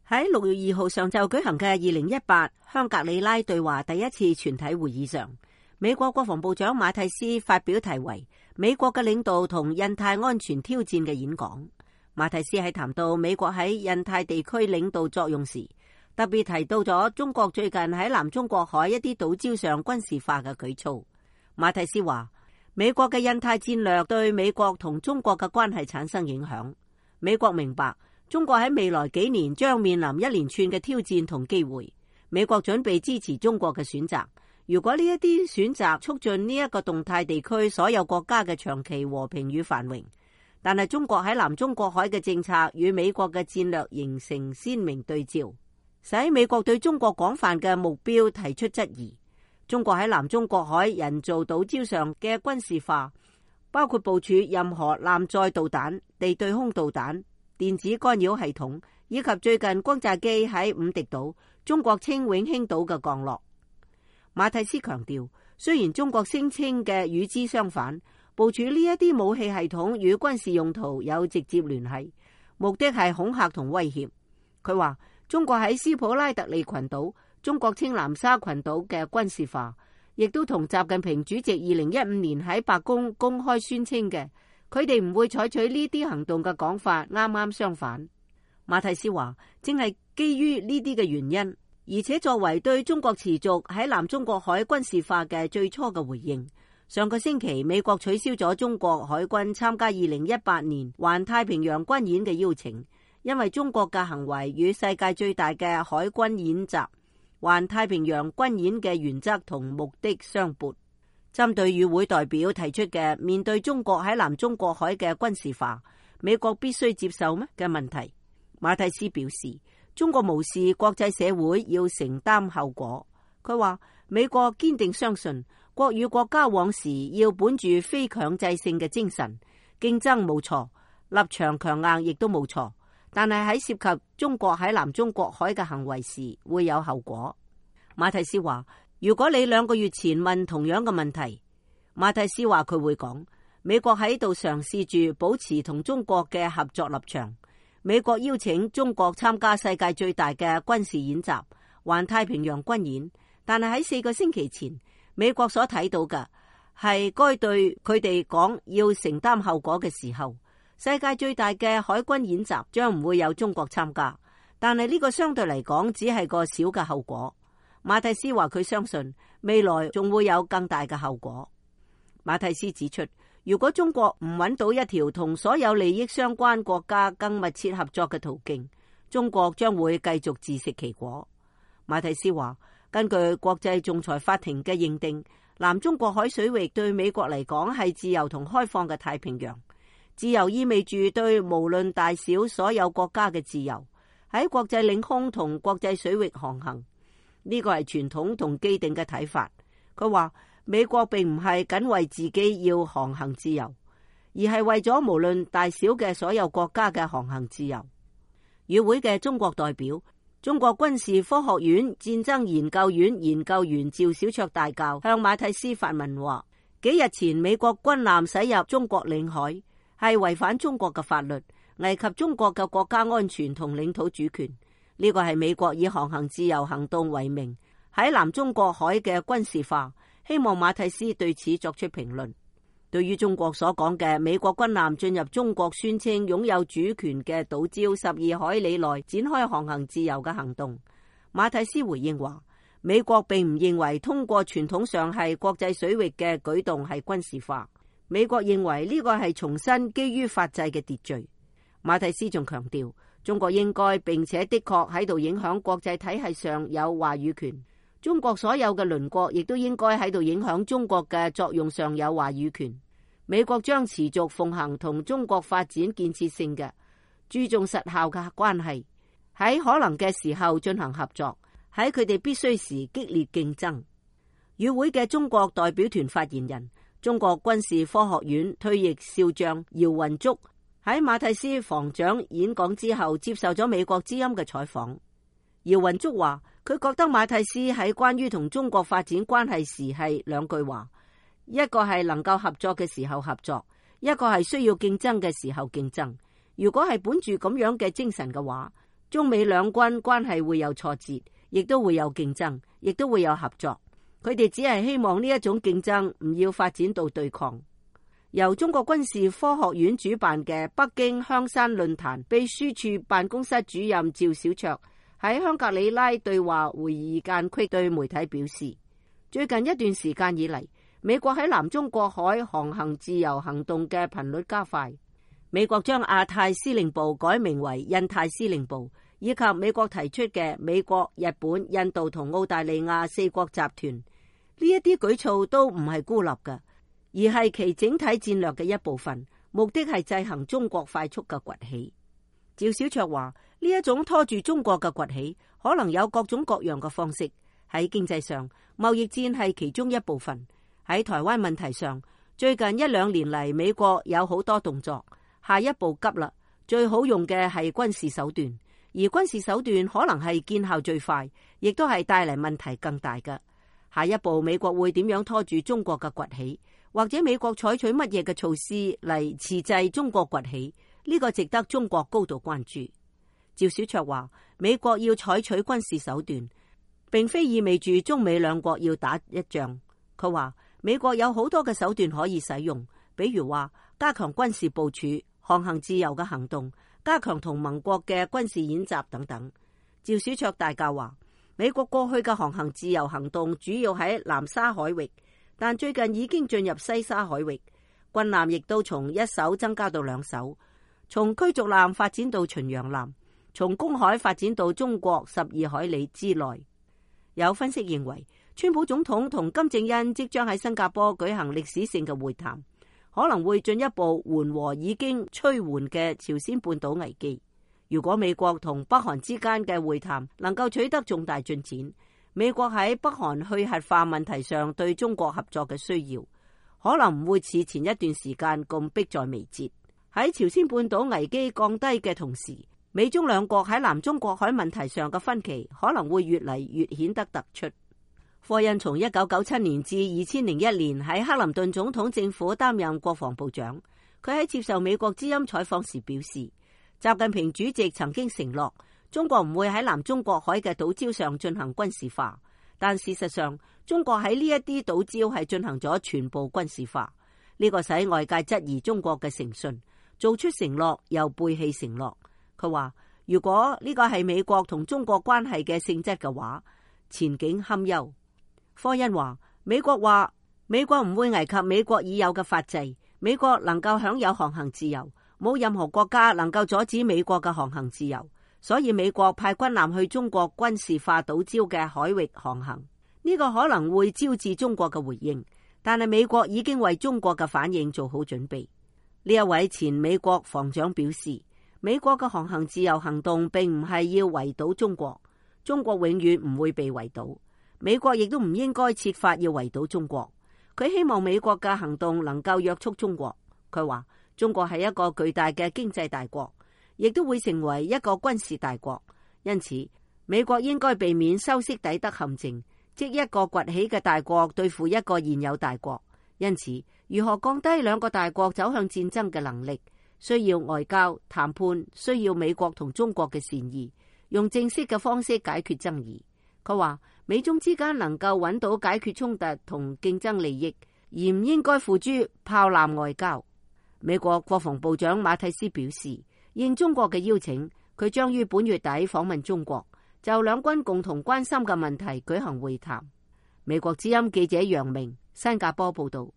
喺6月2號上晝舉行嘅2018香格里拉對話第一次全體會議上，美國國防部長馬蒂斯發表題為《美國嘅領導同印太安全挑戰》嘅演講。馬蒂斯喺談到美國喺印太地區領導作用時，特別提到咗中國最近喺南中國海一啲島礁上軍事化嘅舉措。馬蒂斯話，美國嘅印太戰略對美國同中國嘅關係產生影響。美國明白中國喺未來幾年將面臨一連串嘅挑戰同機會，美國準備支持中國嘅選擇。如果呢一啲選擇促進呢一個動態地區所有國家嘅長期和平與繁榮，但係中國喺南中國海嘅政策與美國嘅戰略形成鮮明對照，使美國對中國廣泛嘅目標提出質疑。中國喺南中國海人造島礁上嘅軍事化，包括部署任何艦載導彈、地對空導彈、電子干擾系統，以及最近轟炸機喺五敵島、中國稱永興島嘅降落。馬蒂斯強調，雖然中國聲稱嘅與之相反，部署呢一啲武器系統與軍事用途有直接聯繫，目的係恐嚇同威脅。佢話，中國喺斯普拉特利群島、中國稱南沙群島嘅軍事化，亦都同習近平主席2015年喺白宮公開宣稱嘅佢哋唔會採取呢啲行動嘅講法啱啱相反。馬蒂斯話，正係基於呢啲嘅原因，而且作為對中國持續喺南中國海軍事化嘅最初嘅回應，上個星期美國取消咗中國海軍參加2018年環太平洋軍演嘅邀請，因為中國嘅行為與世界最大嘅海軍演習環太平洋軍演嘅原則同目的相悖。針對與會代表提出嘅面對中國喺南中國海嘅軍事化，美國必須接受咩嘅問題，馬蒂斯表示，中國無視國際社會要承擔後果。佢話，美國堅定相信國與國交往時要本住非強制性嘅精神，競爭冇錯，立場強硬亦都冇錯，但係喺涉及中國喺南中國海嘅行為時會有後果。馬蒂斯話，如果你2個月前問同樣嘅問題，馬蒂斯話佢會講，美國喺度嘗試住保持同中國嘅合作立場。美國邀請中國參加世界最大嘅軍事演習環太平洋軍演，但係喺4個星期前，美國所睇到嘅係該對佢哋講要承擔後果嘅時候，世界最大嘅海軍演習將唔會有中國參加，但係呢個相對嚟講只係個小嘅後果。馬蒂斯話佢相信未來仲會有更大嘅後果。馬蒂斯指出，如果中國唔揾到一條同所有利益相關國家更密切合作嘅途徑，中國將會繼續自食其果。馬蒂斯話，根據國際仲裁法庭嘅認定，南中國海水域對美國嚟講係自由同開放嘅太平洋。自由意味住對無論大小所有國家嘅自由，喺國際領空同國際水域航行。呢個係傳統同既定嘅睇法。佢話，美國並唔係僅為自己要航行自由，而係為咗無論大小嘅所有國家嘅航行自由。與會嘅中國代表、中國軍事科學院戰爭研究院研究員趙小卓大校向馬蒂斯發問話，幾日前美國軍艦駛入中國領海，係違反中國嘅法律，危及中國嘅國家安全同領土主權。呢個係美國以航行自由行動為名喺南中國海嘅軍事化，希望馬蒂斯對此作出評論。對於中國所講嘅美國軍艦進入中國宣稱擁有主權嘅島礁12海里內展開航行自由嘅行動，馬蒂斯回應話，美國並唔認為通過傳統上係國際水域嘅舉動係軍事化，美國認為呢個係重新基於法制嘅秩序。馬蒂斯仲強調，中國應該並且的確喺度影響國際體系上有話語權，中國所有嘅鄰國亦都應該喺度影響中國嘅作用上有話語權。美國將持續奉行同中國發展建設性嘅、注重實效嘅關係，喺可能嘅時候進行合作，喺佢哋必須時激烈競爭。與會嘅中國代表團發言人、中國軍事科學院退役少將姚雲竹喺馬蒂斯防長演講之後接受咗美國之音嘅採訪。姚雲竹話，佢覺得馬蒂斯喺關於同中國發展關係時係2句話，一個係能夠合作嘅時候合作，一個係需要競爭嘅時候競爭。如果係本住咁樣嘅精神嘅話，中美兩軍關係會有挫折，亦都會有競爭，亦都會有合作。佢哋只係希望呢一種競爭唔要發展到對抗。由中國軍事科學院主辦嘅北京香山論壇秘書處辦公室主任趙小卓喺香格里拉對話會議間隙對媒體表示，最近一段時間以嚟，美國喺南中國海航行自由行動嘅頻率加快。美國將亞太司令部改名為印太司令部，以及美國提出嘅美國、日本、印度同澳大利亞四國集團，呢一啲舉措都唔係孤立嘅，而係其整體戰略嘅一部分，目的係制衡中國快速嘅崛起。趙小卓話：呢一種拖住中國嘅崛起，可能有各種各樣嘅方式。喺經濟上，貿易戰係其中一部分；喺台灣問題上，最近一兩年嚟，美國有好多動作。下一步急啦，最好用嘅係軍事手段，而軍事手段可能係見效最快，亦都係帶嚟問題更大嘅。下一步美國會點樣拖住中國嘅崛起，或者美國採取乜嘢嘅措施嚟遲滯中國崛起？呢個值得中國高度關注。趙小卓話：美國要採取軍事手段，並非意味住中美兩國要打一仗。佢話美國有好多嘅手段可以使用，比如話加強軍事部署、航行自由嘅行動，加強同盟國嘅軍事演習等等。趙小卓大教話：美國過去嘅航行自由行動主要喺南沙海域，但最近已經進入西沙海域，軍艦亦都從1艘增加到2艘，從驅逐艦發展到巡洋艦，從公海發展到中國12海里之內。有分析認為，川普總統同金正恩即將喺新加坡舉行歷史性嘅會談，可能會進一步緩和已經趨緩嘅朝鮮半島危機。如果美國同北韓之間嘅會談能夠取得重大進展，美國喺北韓去核化問題上對中國合作嘅需要，可能唔會似前一段時間咁迫在眉睫。喺朝鮮半島危機降低嘅同時，美中兩國喺南中國海問題上嘅分歧可能會越嚟越顯得突出。科恩從1997年至2001年喺克林頓總統政府擔任國防部長。佢喺接受美國之音採訪時表示，習近平主席曾經承諾中國唔會喺南中國海嘅島礁上進行軍事化，但事實上中國喺呢一啲島礁係進行咗全部軍事化。呢個使外界質疑中國嘅誠信，做出承諾又背棄承諾。佢話如果呢個係美國同中國關係嘅性質嘅話，前景堪憂。科恩話美國唔會危及美國已有嘅法制，美國能夠享有航行自由，冇任何國家能夠阻止美國嘅航行自由，所以美國派軍艦去中國軍事化島礁嘅海域航行，呢個可能會招致中國嘅回應，但係美國已經為中國嘅反應做好準備。呢一位前美國防長表示，美國嘅航行自由行動並唔係要圍堵中國，中國永遠唔會被圍堵，美國亦都唔應該設法要圍堵中國。佢希望美國嘅行動能夠約束中國。佢話中國係一個巨大嘅經濟大國，亦都會成為一個軍事大國，因此美國應該避免修昔底德陷阱，即一個崛起嘅大國對付一個現有大國。因此如何降低兩個大國走向戰爭嘅能力，需要外交談判，需要美國同中國嘅善意，用正式嘅方式解決爭議。佢話美中之間能夠揾到解決衝突同競爭利益，而唔應該付諸炮艦外交。美國國防部長馬蒂斯表示，應中國嘅邀請，佢將於本月底訪問中國，就兩軍共同關心嘅問題舉行會談。美國之音記者楊明新加坡報道。